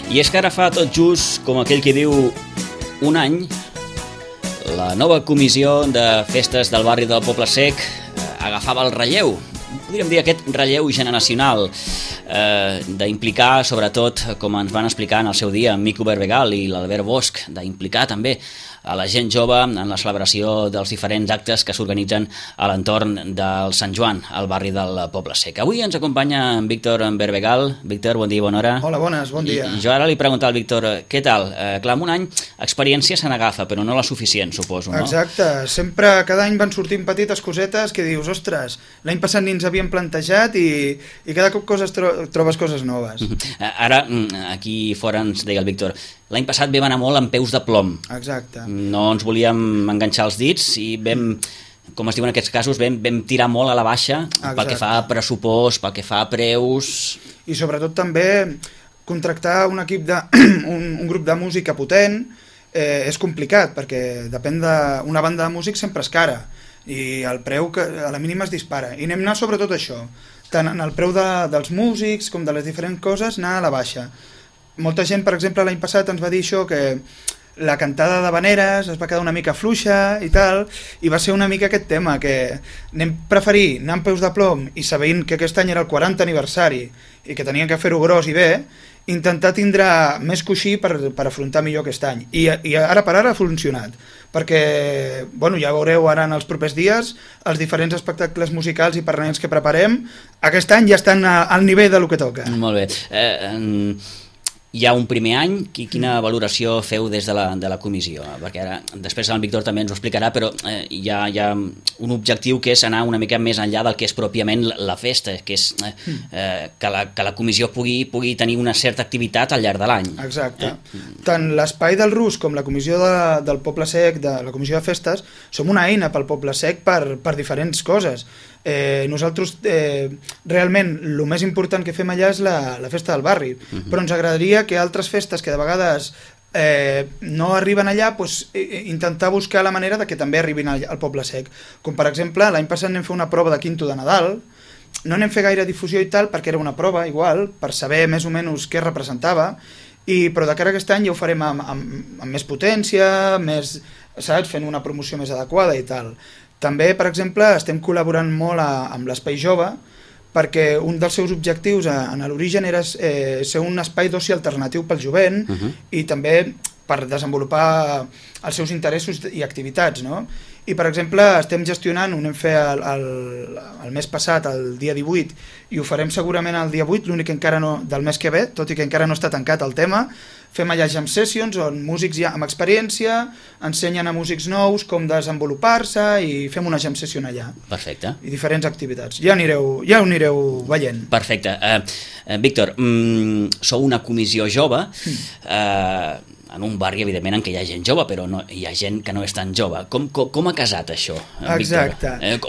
I és que ara fa tot just, com aquell que diu, un any, la nova comissió de festes del barri del Poble Sec agafava el relleu. Podríem dir aquest relleu generacional, d'implicar, sobretot, com ens van explicar en el seu dia, en Mico Berbegal i l'Albert Bosch, d'implicar també a la gent jove en la celebració dels diferents actes que s'organitzen a l'entorn del Sant Joan, al barri del Poble Sec. Avui ens acompanya en Víctor Berbegal. Víctor, bon dia i bona hora. Hola, bones, bon dia. I jo ara li preguntava al Víctor, què tal? Clar, en un any experiència se n'agafa, però no la suficient, suposo, no? Exacte, sempre cada any van sortint petites cosetes que dius, ostres, l'any passat ni ens havíem plantejat i cada cop trobes coses noves. Ara, aquí fora ens deia el Víctor, l'any passat vam anar molt amb peus de plom. Exacte. No ens volíem enganxar els dits i vam, com es diu en aquests casos, vam tirar molt a la baixa. Exacte. Pel que fa a pressupost, pel que fa a preus... I sobretot també contractar un equip un grup de música potent és complicat, perquè depèn d'una banda de músics sempre és cara i el preu que a la mínima es dispara. I anem anar sobretot això, tant en el preu dels músics com de les diferents coses, anar a la baixa. Molta gent, per exemple, l'any passat ens va dir això, que la cantada d'havaneres es va quedar una mica fluixa i tal, i va ser una mica aquest tema, que anem preferir anar amb peus de plom i sabent que aquest any era el 40 aniversari i que tenien que fer-ho gros i bé, intentar tindre més coixí per afrontar millor aquest any. I ara per ara ha funcionat, perquè bueno, ja veureu ara en els propers dies els diferents espectacles musicals i permanents que preparem, aquest any ja estan al nivell del que toca. Molt bé. Hi ha un primer any, quina valoració feu des de la comissió? Perquè ara, després el Víctor també ens ho explicarà, però hi ha un objectiu que és anar una mica més enllà del que és pròpiament la festa, que és que la comissió pugui tenir una certa activitat al llarg de l'any. Exacte. Tant l'Espai del Rus com la comissió del Poble Sec, de la comissió de festes, som una eina pel Poble Sec per diferents coses. Nosaltres realment el més important que fem allà és la festa del barri, però ens agradaria que altres festes que de vegades no arriben allà, intentar buscar la manera de que també arribin al Poble Sec, com per exemple l'any passat anem fer una prova de quinto de Nadal, no anem fer gaire difusió i tal perquè era una prova igual, per saber més o menys què representava, però de cara a aquest any ja ho farem amb més potència, saps, fent una promoció més adequada i tal. També, per exemple, estem col·laborant molt amb l'Espai Jove, perquè un dels seus objectius en l'origen era ser un espai d'oci alternatiu pel jovent i també per desenvolupar els seus interessos i activitats, no? I, per exemple, estem gestionant, ho anem fer el mes passat, el dia 18, i ho farem segurament el dia 8, l'únic encara no, del mes que ve, tot i que encara no està tancat el tema, fem allà jam sessions on músics ja amb experiència ensenyen a músics nous com desenvolupar-se i fem una jam session allà. Perfecte. I diferents activitats. Ja ho anireu veient. Perfecte. Víctor, sou una comissió jove, en un barri, evidentment, en què hi ha gent jove, però hi ha gent que no és tan jove. Com ha casat això, Víctor? Exacte.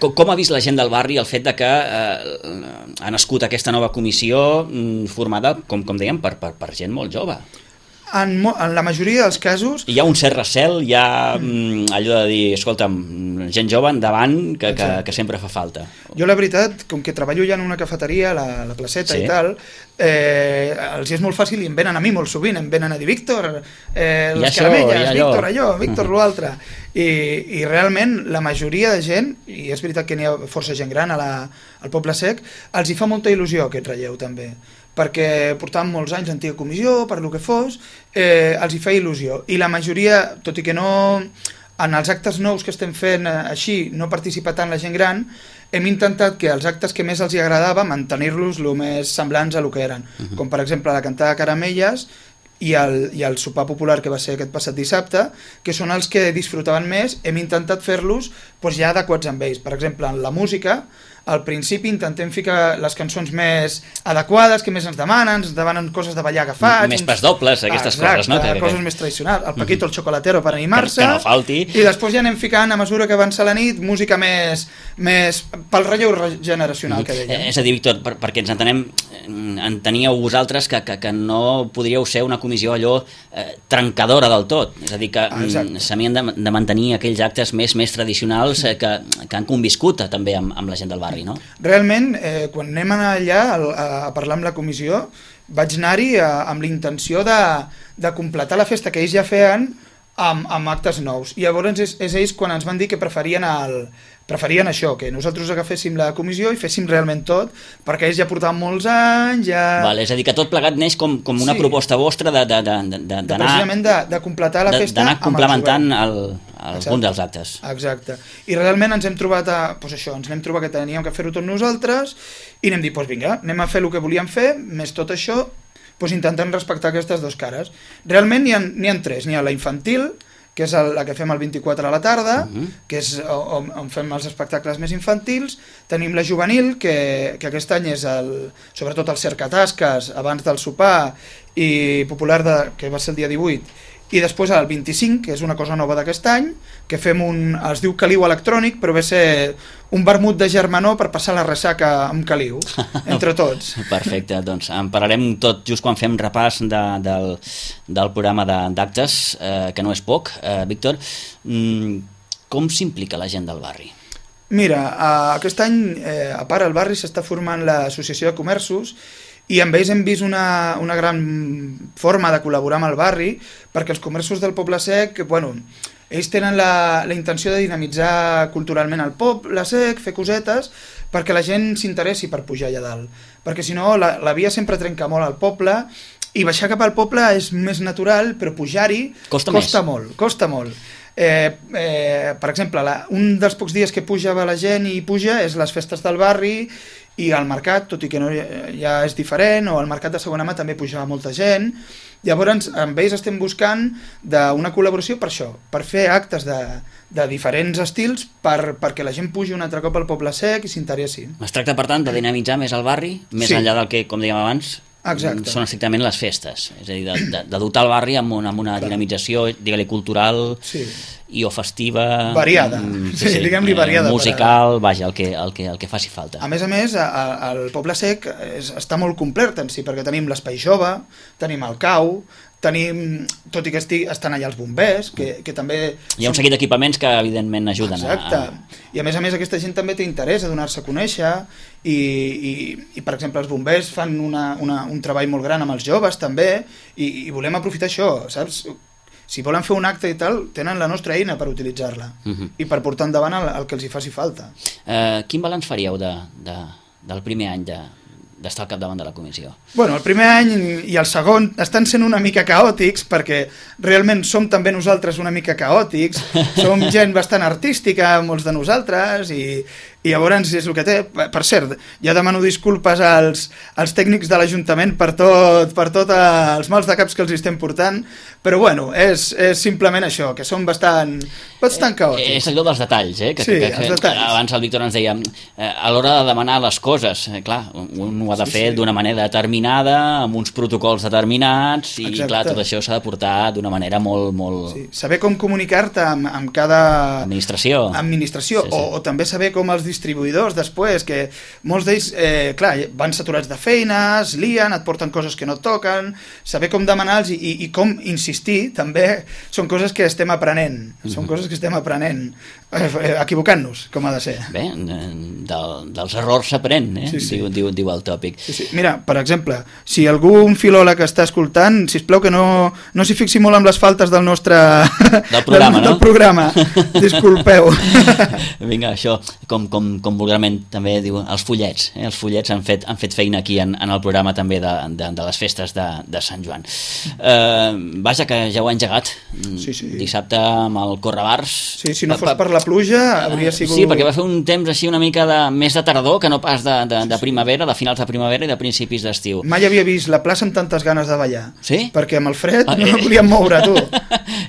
Com ha vist la gent del barri el fet de que ha nascut aquesta nova comissió formada, com dèiem, per gent molt jove? En la majoria dels casos... Hi ha un cert recel, hi ha allò de dir, escolta'm, gent jove endavant, que sempre fa falta. Jo, la veritat, com que treballo ja en una cafeteria, la placeta i tal, els és molt fàcil i em venen a mi molt sovint, em venen a dir, Víctor, les caramelles, Víctor allò, Víctor l'altre. I realment la majoria de gent, i és veritat que n'hi ha força gent gran al Poble Sec, els hi fa molta il·lusió aquest relleu també, perquè portàvem molts anys d'antiga comissió, per lo que fos, els hi fa il·lusió. I la majoria, tot i que no, en els actes nous que estem fent així, no participa tant la gent gran, hem intentat que els actes que més els hi agradava mantenir-los el més semblants a lo que eren. Com per exemple la cantada de caramelles i el sopar popular que va ser aquest passat dissabte, que són els que disfrutaven més, hem intentat fer-los ja adequats amb ells. Per exemple, en la música, al principi intentem ficar les cançons més adequades, que més ens demanen coses de ballar agafats... Més pas dobles, aquestes coses, no? Coses més tradicionals, el Paquito, el Chocolatero per animar-se... Que no falti... I després ja anem ficant, a mesura que avança la nit, música més pel relleu generacional que dèiem. És a dir, Víctor, perquè ens entenem, enteníeu vosaltres que no podríeu ser una comissió allò trencadora del tot, és a dir, que s'havien de mantenir aquells actes més tradicionals que han conviscut també amb la gent del barri. barri, no? Realment, quan anem allà a parlar amb la comissió, vaig anar-hi amb la intenció de completar la festa que ells ja feien amb actes nous. I llavors és ells quan ens van dir que preferien això, que nosaltres agaféssim la comissió i féssim realment tot, perquè ells ja portaven molts anys, Val, és a dir, que tot plegat neix com una proposta vostra d'anar... Precisament de completar la festa d'anar complementant algun dels actes. Exacte. I realment ens hem trobat ens hem trobat que teníem que fer-ho tot nosaltres i anem dir, vinga, anem a fer el que volíem fer, més tot això, intentant respectar aquestes dues cares. Realment n'hi ha tres. N'hi ha la infantil, que és la que fem el 24 a la tarda, que és on fem els espectacles més infantils. Tenim la juvenil, que aquest any és sobretot el cercatasques abans del sopar i popular, que va ser el dia 18, i després el 25, que és una cosa nova d'aquest any, que fem es diu caliu electrònic, però ve a ser un vermut de germanor per passar la ressaca amb caliu, entre tots. Perfecte, doncs en parlarem tot just quan fem repàs del programa d'actes, que no és poc. Víctor, com s'implica la gent del barri? Mira, aquest any, a part al barri s'està formant l'Associació de Comerços, i amb ells hem vist una gran forma de col·laborar amb el barri, perquè els comerços del Poble Sec, ells tenen la intenció de dinamitzar culturalment el Poble Sec, fer cosetes, perquè la gent s'interessi per pujar allà dalt. Perquè si no, la via sempre trenca molt al poble, i baixar cap al poble és més natural, però pujar-hi costa molt. Per exemple, un dels pocs dies que pujava la gent i puja és les festes del barri i al mercat, tot i que no ja és diferent, o al mercat de segona mà també pujava molta gent. Llavors amb ells estem buscant una col·laboració per això, per fer actes de diferents estils perquè la gent pugi un altre cop al Poble Sec i s'interessi. Es tracta per tant de dinamitzar més el barri, més enllà del que, com dèiem abans, exacte, són estrictament les festes, és a dir, de dotar el barri amb una dinamització, digue-li, cultural i o festiva, variada, diguem-li variada, musical, vaja, el que faci falta. A més, el Poble Sec està molt complet en si, perquè tenim l'espai jove, tenim el cau, tenim, tot i que estan allà els bombers, que també... Hi ha un seguit d'equipaments que evidentment ajuden. Exacte, i a més aquesta gent també té interès a donar-se a conèixer i per exemple els bombers fan un treball molt gran amb els joves també i volem aprofitar això, saps? Si volen fer un acte i tal, tenen la nostra eina per utilitzar-la i per portar endavant el que els hi faci falta. Quin balanç faríeu del primer any d'estar al capdavant de la comissió? El primer any i el segon estan sent una mica caòtics perquè realment som també nosaltres una mica caòtics, som gent bastant artística, molts de nosaltres, i llavors és el que té. Per cert, ja demano disculpes als tècnics de l'Ajuntament per tot els mals de caps que els estem portant, però és simplement això, que som bastant caòtics. És allò dels detalls, els detalls. Abans el Víctor ens deia, a l'hora de demanar les coses, clar, un ho ha de fer d'una manera determinada, amb uns protocols determinats, i clar, tot això s'ha de portar d'una manera molt... Sí. Saber com comunicar-te amb cada... Administració. O també saber com els distribuïdors després, que molts d'ells, clar, van saturats de feines, lien, et porten coses que no et toquen, saber com demanar-los i com insistir, també són coses que estem aprenent, equivocant-nos, com ha de ser. Bé, dels errors s'aprèn, diu el tòpic. Sí. Mira, per exemple, si algun filòleg està escoltant, sisplau que no s'hi fixi molt amb les faltes del nostre... Del programa, no? Del programa, disculpeu. Vinga, això, com vulgarment també diu, els fullets. Els fullets han fet feina aquí en el programa també de les festes de Sant Joan. Vaja, que ja ho ha engegat. Dissabte amb el Correbars. Sí, si no fos per la pluja hauria sigut... Sí, perquè va fer un temps així una mica més de tardor que no pas de primavera, de finals de primavera i de principis d'estiu. Mai havia vist la plaça amb tantes ganes de ballar. Sí? Perquè amb el fred no volíem moure, tu.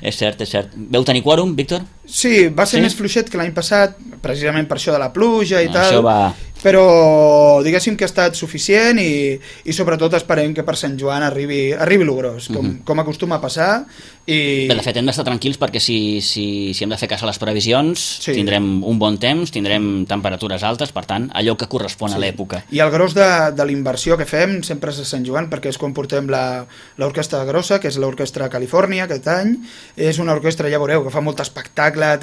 És cert. Veu tenir quòrum, Víctor? Sí, va ser més fluixet que l'any passat, precisament per això de la pluja i tal. Això va... Però diguéssim que ha estat suficient i sobretot esperem que per Sant Joan arribi lo gros, com acostuma a passar. Bé, de fet, hem d'estar tranquils perquè si hem de fer cas a les previsions, tindrem un bon temps, tindrem temperatures altes, per tant, allò que correspon a l'època. I el gros de la fem sempre és a Sant Joan, perquè és quan portem l'orquestra grossa, que és l'Orquestra Califòrnia aquest any. És una orquestra, ja veureu, que fa molt espectacle,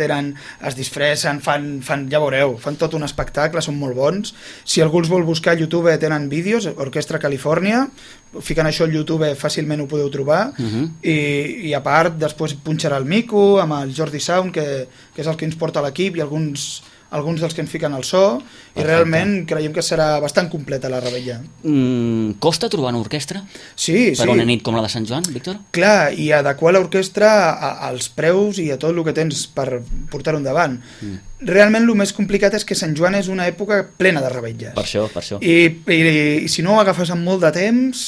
es disfressen, fan ja veureu, fan tot un espectacle, són molt bons. cançons. Si algú els vol buscar a YouTube tenen vídeos, Orquestra Califòrnia, fiquen això al YouTube fàcilment ho podeu trobar, i a part després punxarà el Mico amb el Jordi Sound, que és el que ens porta l'equip, i alguns dels que ens fiquen al so. Perfecte. I realment creiem que serà bastant completa la revetlla. Costa trobar una orquestra? Sí. Per una nit com la de Sant Joan, Víctor? Clar, i adequar l'orquestra als preus i a tot el que tens per portar-ho endavant. Realment el més complicat és que Sant Joan és una època plena de revetlles. Per això. I si no ho agafes amb molt de temps,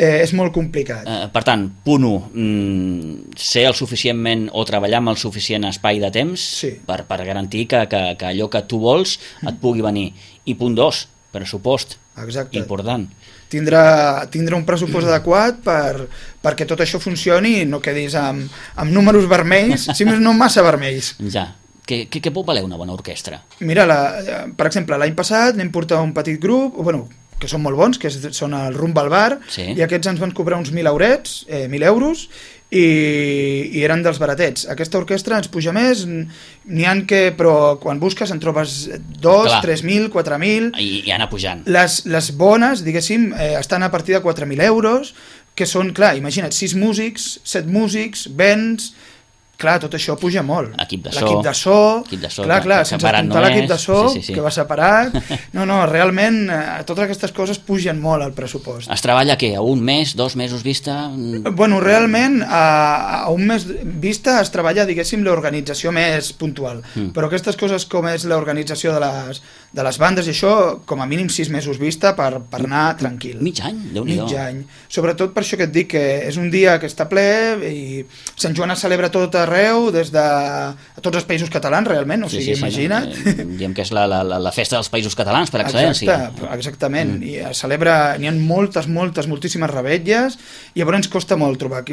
és molt complicat. Per tant, punt 1, ser el suficientment o treballar amb el suficient espai de temps per garantir que allò que tu vols et pugui venir. I punt 2, pressupost. Exacte. Important. Tindre un pressupost adequat perquè tot això funcioni i no quedis amb números vermells, si més no massa vermells. Ja. Què pot valer una bona orquestra? Mira, per exemple, l'any passat anem portar un petit grup, que són molt bons, que són el Rumba al Bar, i aquests ens van cobrar uns 1.000 euros, i eren dels baratets. Aquesta orquestra ens puja més, però quan busques en trobes 2, 3.000, 4.000... I anar pujant. Les bones, diguéssim, estan a partir de 4.000 euros, que són, clar, imagina't, 6 músics, 7 músics, vents... Clar, tot això puja molt. L'equip de so, clar, sense comptar l'equip de so, que va separat. No, realment, totes aquestes coses pugen molt al pressupost. Es treballa què? A un mes, 2 mesos vista? Bueno, realment, a un mes vista es treballa, diguéssim, l'organització més puntual. Però aquestes coses com és l'organització de les bandes i això, com a mínim 6 mesos vista per anar tranquil. Mig any? Déu-n'hi-do. Mig any. Sobretot per això que et dic, que és un dia que està ple i Sant Joan es celebra tot arreu, des de tots els països catalans, realment, o sigui, imagina't. Diem que és la festa dels països catalans, per excel·lència. Exactament, i es celebra, n'hi ha moltíssimes revetlles, i llavors ens costa molt trobar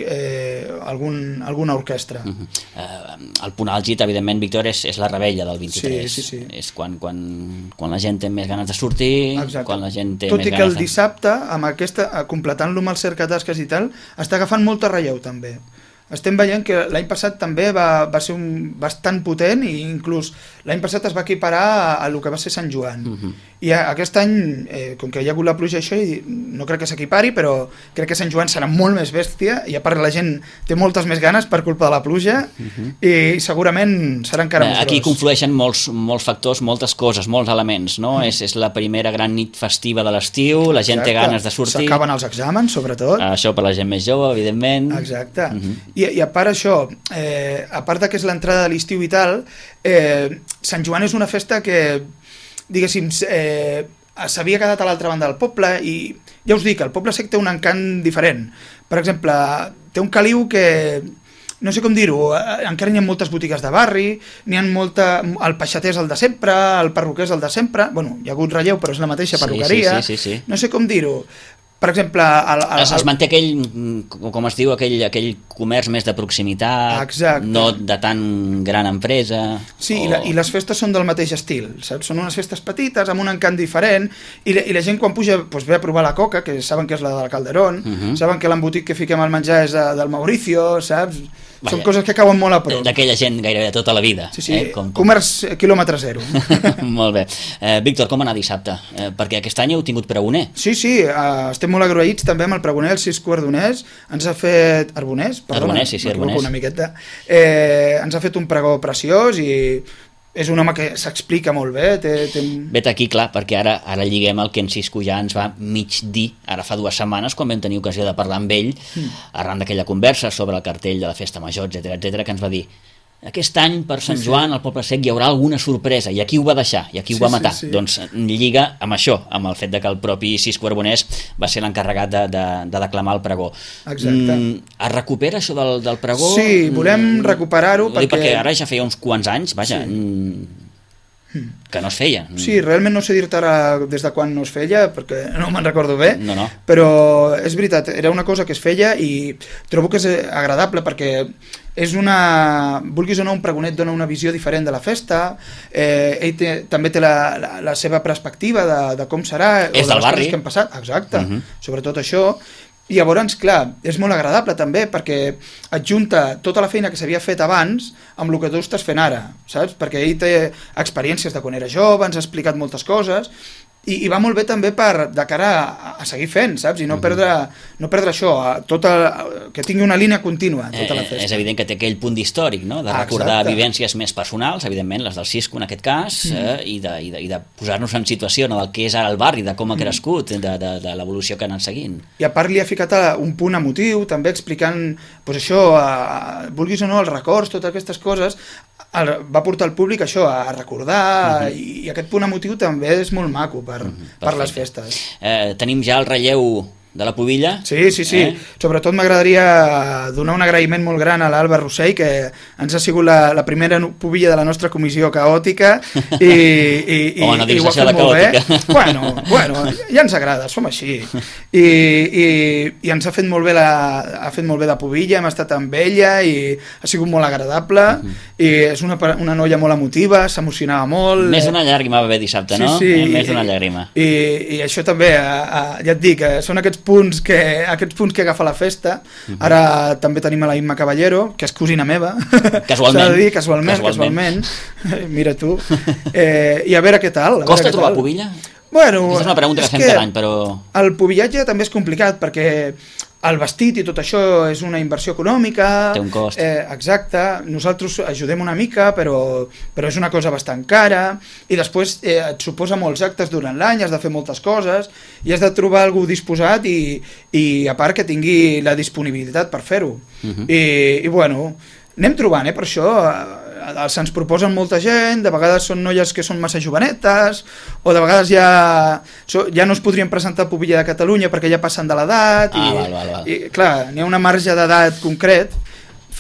alguna orquestra. El punt àlgid, evidentment, Víctor, és la revetlla del 23. Sí. És quan la gent té més ganes de sortir, quan la gent té més ganes de... Tot i que el dissabte, completant-lo amb els cercatasques i tal, està agafant molta relleu, també. Estem veient que l'any passat també va ser bastant potent, i inclús l'any passat es va equiparar a el que va ser Sant Joan. I aquest any, com que hi ha hagut la pluja això, no crec que s'equipari, però crec que Sant Joan serà molt més bèstia, i a part la gent té moltes més ganes per culpa de la pluja, i segurament serà encara més gros. Aquí conflueixen molts factors, moltes coses, molts elements, no? És la primera gran nit festiva de l'estiu, la gent té ganes de sortir. S'acaben els exàmens, sobretot. Això per la gent més jove, evidentment. Exacte. I a part això, a part que és l'entrada de l'estiu i tal, Sant Joan és una festa que, diguéssim, s'havia quedat a l'altra banda del poble, i ja us dic, el Poble Sec té un encant diferent. Per exemple, té un caliu que, no sé com dir-ho, encara n'hi ha moltes botigues de barri, n'hi ha el peixater és el de sempre, el perruquer és el de sempre, bueno, hi ha hagut relleu però és la mateixa perruqueria, sí. No sé com dir-ho. Per exemple... Es manté aquell, com es diu, aquell comerç més de proximitat. Exacte. No de tan gran empresa. Sí, i les festes són del mateix estil, saps? Són unes festes petites, amb un encant diferent, i la gent quan puja ve a provar la coca, que saben que és la de la Calderón, saben que l'embotit que fiquem al menjar és del Mauricio, saps? Són coses que cauen molt a prop. D'aquella gent gairebé tota la vida. Sí. Comerç quilòmetre zero. Molt bé. Víctor, com anar dissabte? Perquè aquest any heu tingut pregoner. Sí, estem molt agraïts també amb el pregoner, el Cisco Ardonès. Ens ha fet... Arbonès? Arbonès, sí, Arbonès. Una miqueta. Ens ha fet un pregó preciós i... És un home que s'explica molt bé. Vet aquí, clar, perquè ara lliguem el que en Cisco ja ens va mig dir, ara fa 2 setmanes, quan vam tenir ocasió de parlar amb ell, arran d'aquella conversa sobre el cartell de la Festa Major, etc, que ens va dir: aquest any per Sant Joan al Poble Sec hi haurà alguna sorpresa, i aquí ho va deixar, i aquí ho va matar. Doncs lliga amb això, amb el fet de que el propi Cisco Arbonès va ser l'encarregat de declamar el pregó. Exacte. Es recupera això del pregó? Sí, volem recuperar-ho perquè ara ja feia uns quants anys, vaja, que no es feia. Sí, realment no sé dir-te ara des de quan no es feia, perquè no me'n recordo bé, no. Però és veritat, era una cosa que es feia i trobo que és agradable perquè és vulguis o no, un pregonet dona una visió diferent de la festa, ell també té la seva perspectiva de com serà, és del barri. Que han passat, exacte, sobretot això, I llavors, clar, és molt agradable també perquè et junta tota la feina que s'havia fet abans amb el que tu estàs fent ara, saps? Perquè ell té experiències de quan era jove, ens ha explicat moltes coses i va molt bé també de cara a seguir fent, saps? I no perdre això, que tingui una línia contínua tota la festa. És evident que té aquell punt d'històric, no? De recordar vivències més personals, evidentment les del Cisco en aquest cas, i de posar-nos en situació del que és ara el barri, de com ha crescut, de l'evolució que ha anat seguint. I a part li ha ficat un punt emotiu, també explicant doncs això, vulguis o no, els records, totes aquestes coses, va portar el públic això a recordar, i aquest punt emotiu també és molt maco per les festes. Tenim ja el relleu de la pubilla. Sí. Sobretot m'agradaria donar un agraïment molt gran a l'Alba Rossell, que ens ha sigut la primera pubilla de la nostra comissió caòtica i no diguis ho ha això fet de molt caòtica. bé. Bueno, ja ens agrada, som així. I ens ha fet molt bé la pubilla, hem estat amb ella i ha sigut molt agradable, i és una noia molt emotiva, s'emocionava molt. Més d'una llàgrima va haver dissabte, no? Sí. Més d'una llàgrima. I això també, ja et dic, són aquests punts que agafa la festa. Ara també tenim a la Imma Caballero, que és cosina meva. Casualment. S'ha de dir, casualment. Mira tu. I a veure què tal. Costa trobar pubilla? Bueno, és una pregunta que fem cada any, però... El pubillatge també és complicat, perquè el vestit i tot això és una inversió econòmica. Té un cost. Exacte. Nosaltres ajudem una mica, però és una cosa bastant cara, i després et suposa molts actes durant l'any, has de fer moltes coses, i has de trobar algú disposat i a part que tingui la disponibilitat per fer-ho. I bueno, anem trobant, per això se'ns proposen molta gent, de vegades són noies que són massa jovenetes, o de vegades ja no es podrien presentar a Pubilla de Catalunya perquè ja passen de l'edat, i clar, n'hi ha una marge d'edat concret.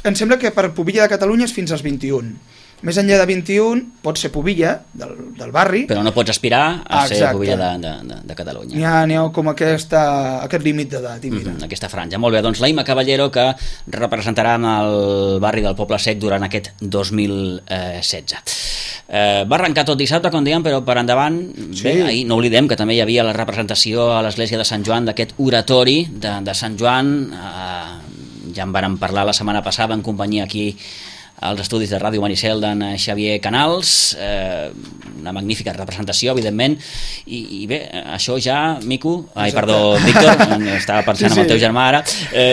Em sembla que per Pubilla de Catalunya és fins als 21. Més enllà de 21 pots ser pubilla del barri, però no pots aspirar a ser pubilla de Catalunya. N'hi ha com aquest límit d'edat, i mira. Aquesta franja. Molt bé, doncs la Imma Caballero, que representarà el barri del Poble Sec durant aquest 2016. Va arrencar tot dissabte, com dèiem, però per endavant, bé, ahir no oblidem que també hi havia la representació a l'església de Sant Joan d'aquest oratori de Sant Joan. Ja en vàrem parlar la setmana passada en companyia aquí als estudis de Ràdio Maricel d'en Xavier Canals, una magnífica representació, evidentment, i bé, això ja, Víctor, estava pensant en el teu germà ara, ha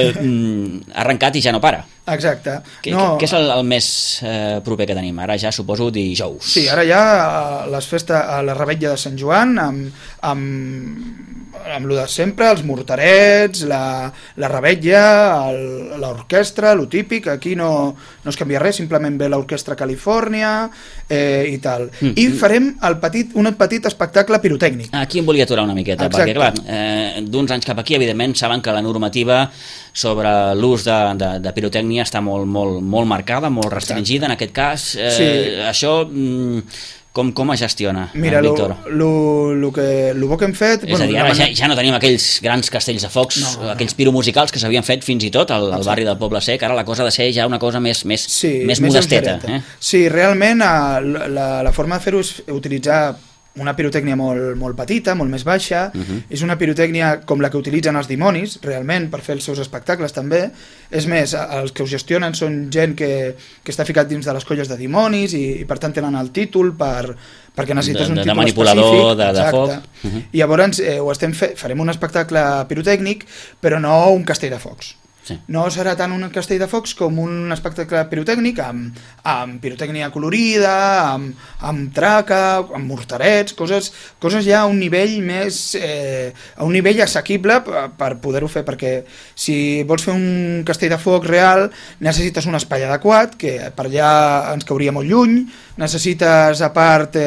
arrencat i ja no para. Exacte. Què és el més proper que tenim? Ara ja suposo dijous. Sí, ara ja les festes, a la revetlla de Sant Joan, amb lo de sempre, els morterets, la revetlla, l'orquestra, lo típic, aquí no es canvia res, simplement ve l'orquestra Califòrnia i tal. I farem un petit espectacle pirotècnic. Aquí em volia aturar una miqueta, perquè clar, d'uns anys cap aquí, evidentment, saben que la normativa sobre l'ús de pirotècnia està molt marcada, molt restringida en aquest cas. Això... Com es gestiona, Víctor? El bo que hem fet... És a dir, ara ja no tenim aquells grans castells de focs, aquells piromusicals que s'havien fet fins i tot al barri del Poble Sec, ara la cosa ha de ser ja una cosa més modesteta. Sí, realment la forma de fer-ho és utilitzar una pirotècnia molt petita, molt més baixa. És una pirotècnia com la que utilitzen els dimonis, realment, per fer els seus espectacles també. És més, els que ho gestionen són gent que està ficat dins de les colles de dimonis i per tant tenen el títol perquè necessites un títol manipulador, específic. De foc. I llavors farem un espectacle pirotècnic, però no un castell de focs. No serà tant un castell de focs com un espectacle pirotècnic amb pirotècnia colorida, amb traca, amb morterets, coses ja a un nivell més a un nivell assequible per poder-ho fer, perquè si vols fer un castell de foc real necessites un espai adequat, que per allà ens cauria molt lluny, necessites a part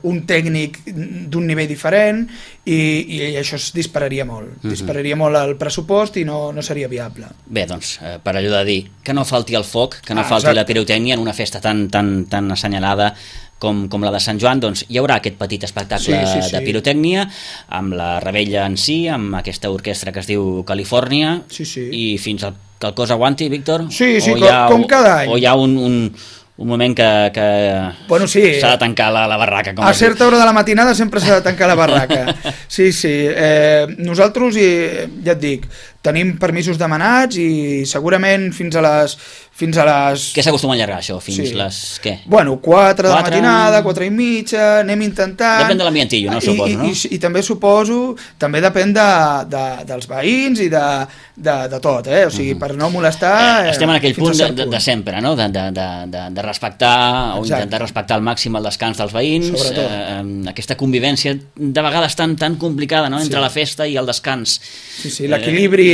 un tècnic d'un nivell diferent i això es dispararia molt. Dispararia molt el pressupost i no seria viable. Bé, doncs, per allò de dir que no falti el foc, que no falti la pirotècnia en una festa tan assenyalada com la de Sant Joan, doncs hi haurà aquest petit espectacle de pirotècnia amb la revetlla en si, amb aquesta orquestra que es diu Califòrnia, i fins que el cos aguanti, Víctor? Sí, com cada any. O hi ha un moment que s'ha de tancar la barraca. A certa hora de la matinada sempre s'ha de tancar la barraca. Sí. Nosaltres, ja et dic, tenim permisos demanats i segurament fins a les... Què s'acostuma a allargar, això? Fins les... què? Bueno, 4 de la matinada, 4 i mitja, anem intentant... Depèn de l'ambientillo, no? Suposo, no? I també suposo, també depèn dels veïns i de tot, O sigui, per no molestar... Estem en aquell punt de sempre, no? De respectar o intentar respectar al màxim el descans dels veïns, aquesta convivència de vegades tan complicada, no? Entre la festa i el descans. Sí, l'equilibri...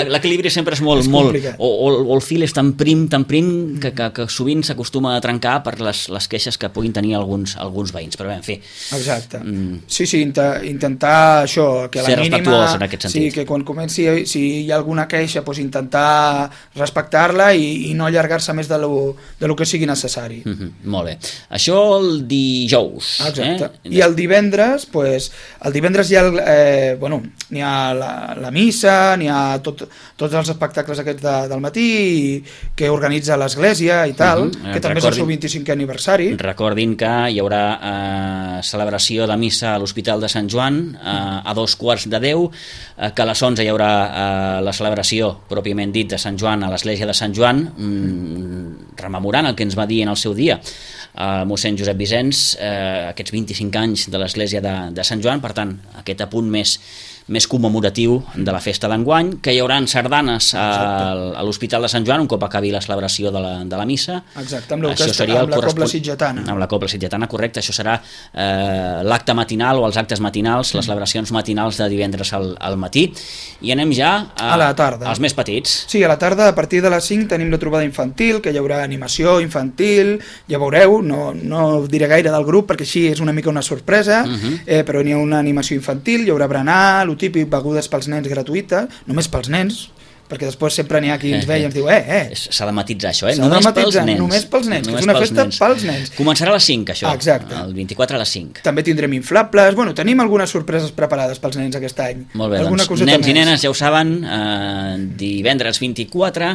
L'equilibri sempre és molt complicat. O el fil és tan prim que sovint s'acostuma a trencar per les queixes que puguin tenir alguns veïns, però bé, en fi. Exacte. Sí, intentar això, que ser respectuós en aquest sentit. Sí, que quan comenci, si hi ha alguna queixa, doncs intentar respectar-la i no allargar-se més de lo que sigui necessari. Molt bé. Això el dijous. Exacte. I el divendres, hi ha n'hi ha la missa, n'hi ha tots els espectacles aquests del matí que organitza l'església i tal, que també és el seu 25è aniversari. Recordin que hi haurà celebració de missa a l'Hospital de Sant Joan a 2:15, que a les 11 hi haurà la celebració pròpiament dit de Sant Joan a l'església de Sant Joan, rememorant el que ens va dir en el seu dia mossèn Josep Vicenç, aquests 25 anys de l'església de Sant Joan, per tant, aquest apunt més commemoratiu de la festa d'enguany, que hi haurà sardanes a l'Hospital de Sant Joan un cop acabi la celebració de la missa. Exacte, amb la Cobla Sitgetana. Amb la Cobla Sitgetana, correcte. Això serà l'acte matinal o els actes matinals, les celebracions matinals de divendres al matí. I anem ja a la tarda. Als més petits. Sí, a la tarda, a partir de les 5, tenim la trobada infantil, que hi haurà animació infantil, ja veureu, no diré gaire del grup, perquè així és una mica una sorpresa, però n'hi ha una animació infantil, hi haurà berenar, típic, begudes pels nens gratuïtes, només pels nens, perquè després sempre n'hi ha qui ens ve i ens diu s'ha de matitzar això, només pels nens, que és una festa pels nens. Començarà a les 5, això. Exacte. El 24 a les 5. També tindrem inflables, tenim algunes sorpreses preparades pels nens aquest any. Molt bé, doncs nens i nenes ja ho saben, divendres 24,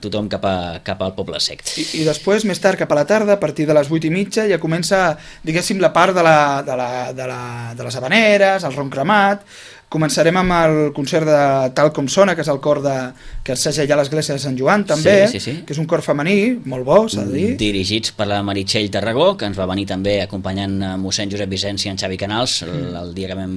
tothom cap al Poble Sec. I després, més tard, cap a la tarda, a partir de les 8:30, ja comença, diguéssim, la part de les habaneres, el ron cremat. Començarem amb el concert de Tal com sona, que és el cor que enseja ja l'església de Sant Joan, també, que és un cor femení, molt bo, s'ha de dir. Dirigits per la Meritxell Tarragó, que ens va venir també acompanyant mossèn Josep Vicenç i en Xavi Canals, el dia que vam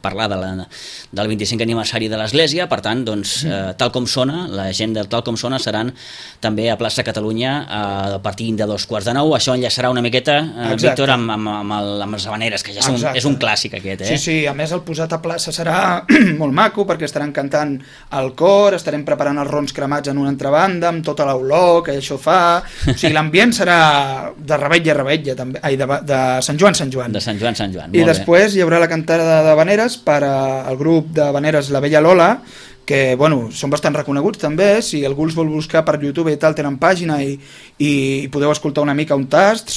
parlar del 25è aniversari de l'església. Per tant, doncs, Tal com sona, la gent del Tal com sona seran també a plaça Catalunya a partir de 2:15. Això enllaçarà una miqueta, Víctor, amb les habaneres, que ja és un clàssic aquest. Sí, a més el posat a plaça serà molt maco, perquè estaran cantant el cor, estarem preparant els rons cremats en una altra banda, amb tota l'olor que això fa, o sigui, l'ambient serà de revetlla, també, de Sant Joan. De Sant Joan, I després hi haurà la cantada d'habaneres per al grup d'habaneres La Bella Lola, que són bastant reconeguts també, si algú els vol buscar per YouTube i tal, tenen pàgina i podeu escoltar una mica un tast.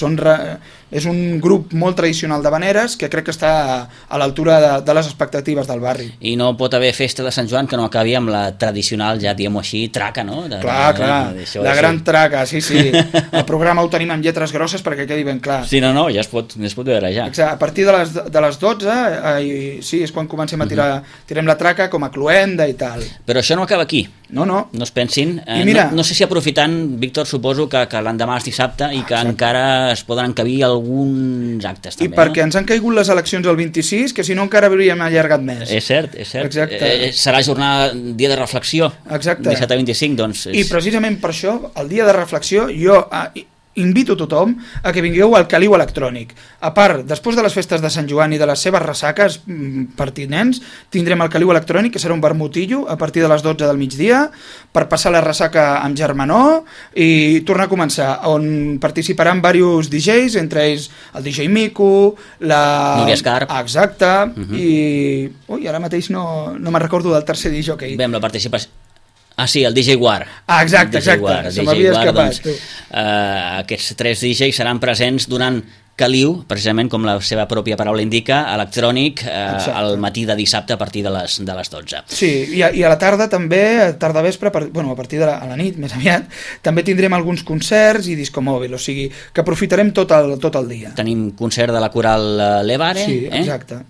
És un grup molt tradicional d'habaneres que crec que està a l'altura de les expectatives del barri. I no pot haver festa de Sant Joan que no acabi amb la tradicional, ja diguem-ho així, traca, no? Clar, la gran traca, sí. El programa ho tenim amb lletres grosses perquè quedi ben clar. Sí, no, ja es pot veure ja. Exacte, a partir de les 12, sí, és quan comencem a tirem la traca com a cluenda i tal. Però això no acaba aquí. No es pensin. No sé si aprofitant, Víctor, suposo que l'endemà és dissabte i que encara es poden encabir alguns actes també. I perquè ens han caigut les eleccions el 26, que si no encara hauríem allargat més. És cert. Serà jornada, dia de reflexió. Exacte. 17 a 25, doncs. I precisament per això, el dia de reflexió, jo invito tothom a que vingueu al Caliu Electrònic. A part, després de les festes de Sant Joan i de les seves ressaques pertinents, tindrem el Caliu Electrònic, que serà un vermutillo a partir de les 12 del migdia, per passar la ressaca amb germanor i tornar a començar, on participaran diversos DJs, entre ells el DJ Mico, Núria Escarp. Exacte, i ara mateix no me'n recordo del tercer DJ que Bé, amb la participació. Sí, el DJ War. Exacte, se m'havia escapat. Aquests 3 DJs seran presents durant caliu, precisament com la seva pròpia paraula indica, electrònic, al matí de dissabte a partir de les 12. Sí, i a la tarda també, tarda vespre, a partir de la nit, més aviat, també tindrem alguns concerts i discomòbil, o sigui, que aprofitarem tot el dia. Tenim concert de la coral Levare, sí, exacte.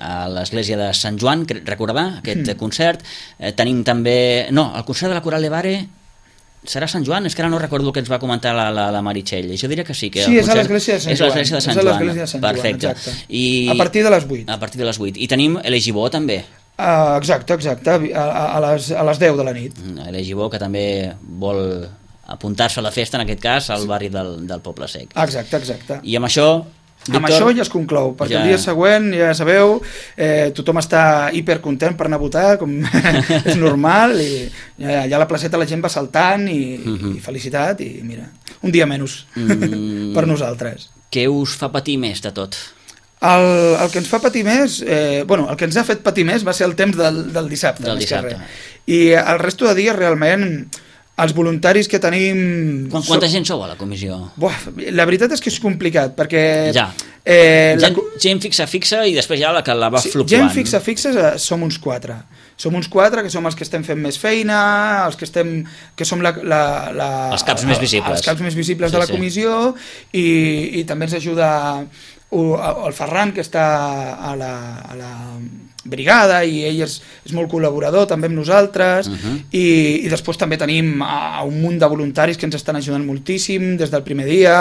A l'església de Sant Joan, recordar aquest concert. Tenim també... No, el concert de la coral Levare serà Sant Joan? És que ara no recordo el que ens va comentar la Meritxell. Jo diria que sí. Que sí, és a l'església de Sant Joan. És a l'església de Sant Joan. Perfecte. A partir de les 8. A partir de les 8. I tenim Elegibó també. Exacte, a les 10 de la nit. Elegibó, que també vol apuntar-se a la festa, en aquest cas, al barri del Poble Sec. Exacte. I amb això... Víctor, amb això ja es conclou, perquè el dia següent, ja sabeu, tothom està hipercontent per anar a votar, com és normal, i allà a la placeta la gent va saltant i felicitat, i mira, un dia menys per nosaltres. Què us fa patir més de tot? El que ens fa patir més, el que ens ha fet patir més va ser el temps del dissabte. I el resto de dies realment... Els voluntaris que tenim... Quanta gent sou a la comissió? La veritat és que és complicat, perquè... Gent fixa i després ja la va fluctuant. Gent fixa som uns 4. Som uns 4 que som els que estem fent més feina, els que som els caps més visibles. Els caps més visibles de la comissió, i també ens ajuda el Ferran, que està a la brigada, i ell és molt col·laborador també amb nosaltres, i després també tenim un munt de voluntaris que ens estan ajudant moltíssim des del primer dia,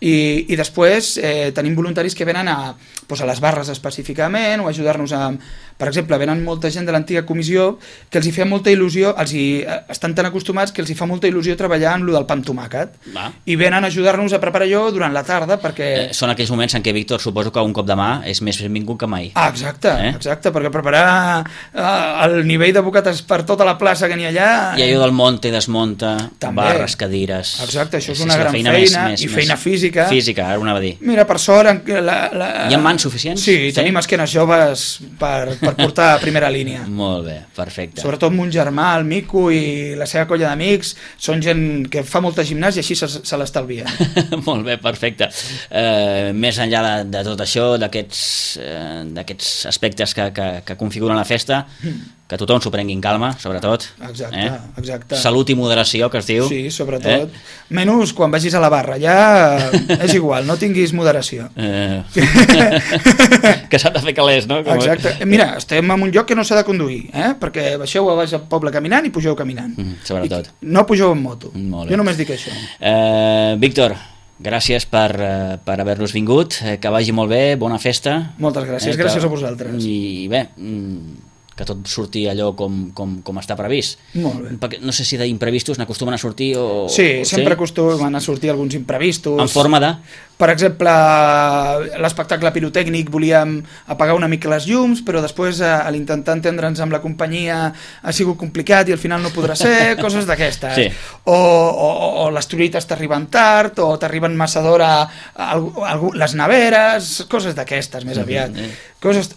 i després tenim voluntaris que venen a les barres específicament, o ajudar-nos per exemple, venen molta gent de l'antiga comissió que els hi fa molta il·lusió, estan tan acostumats que els hi fa molta il·lusió treballar en lo del pa amb tomàquet, i venen a ajudar-nos a preparar allò durant la tarda, perquè... Són aquells moments en què, Víctor, suposo que un cop de mà és més benvingut que mai. Exacte, perquè preparar el nivell de bocates per tota la plaça que n'hi ha allà... I allò del monta i desmunta, barres, cadires... Exacte, això és una gran feina, i feina física. Física, ara ho anava a dir. Mira, per sort... Hi ha mans suficients? Sí, tenim esquenes joves per portar a primera línia. Molt bé, perfecte. Sobretot mon germà, el Mico, i la seva colla d'amics, són gent que fa molta gimnàsia i així se l'estalvia. Molt bé, perfecte. Més enllà de tot això, d'aquests aspectes que configuren la festa, que tothom s'ho prengui en calma, sobretot. Exacte. Salut i moderació, que es diu. Sí, sobretot. Menys quan vagis a la barra, ja és igual, no tinguis moderació. Que s'ha de fer calés, no? Exacte. Mira, estem en un lloc que no s'ha de conduir, perquè baixeu a baix al poble caminant i pugeu caminant. Sobretot. No pugeu en moto. Jo només dic això. Víctor, gràcies per haver-nos vingut, que vagi molt bé, bona festa. Moltes gràcies, gràcies a vosaltres. I bé, que tot surti allò com està previst. Molt bé. Perquè no sé si d'imprevistos n'acostumen a sortir o... Sí, sempre acostumen a sortir alguns imprevistos. En forma de? Per exemple, l'espectacle pirotècnic volíem apagar una mica les llums, però després a l'intentar entendre'ns amb la companyia ha sigut complicat i al final no podrà ser, coses d'aquestes. Sí. O les truites t'arriben tard, o t'arriben massa d'hora les neveres, coses d'aquestes més aviat.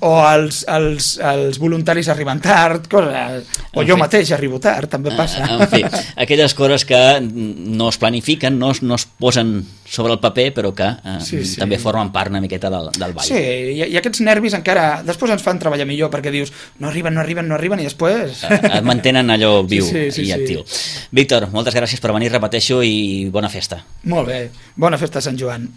O els voluntaris arriben tard, o jo mateix arribo tard, també passa. En fi, aquelles coses que no es planifiquen, no es posen sobre el paper, però que també formen part una miqueta del ball. Sí, i aquests nervis encara després ens fan treballar millor, perquè dius no arriben, i després... Et mantenen allò viu i actiu. Víctor, moltes gràcies per venir, repeteixo, i bona festa. Molt bé, bona festa a Sant Joan.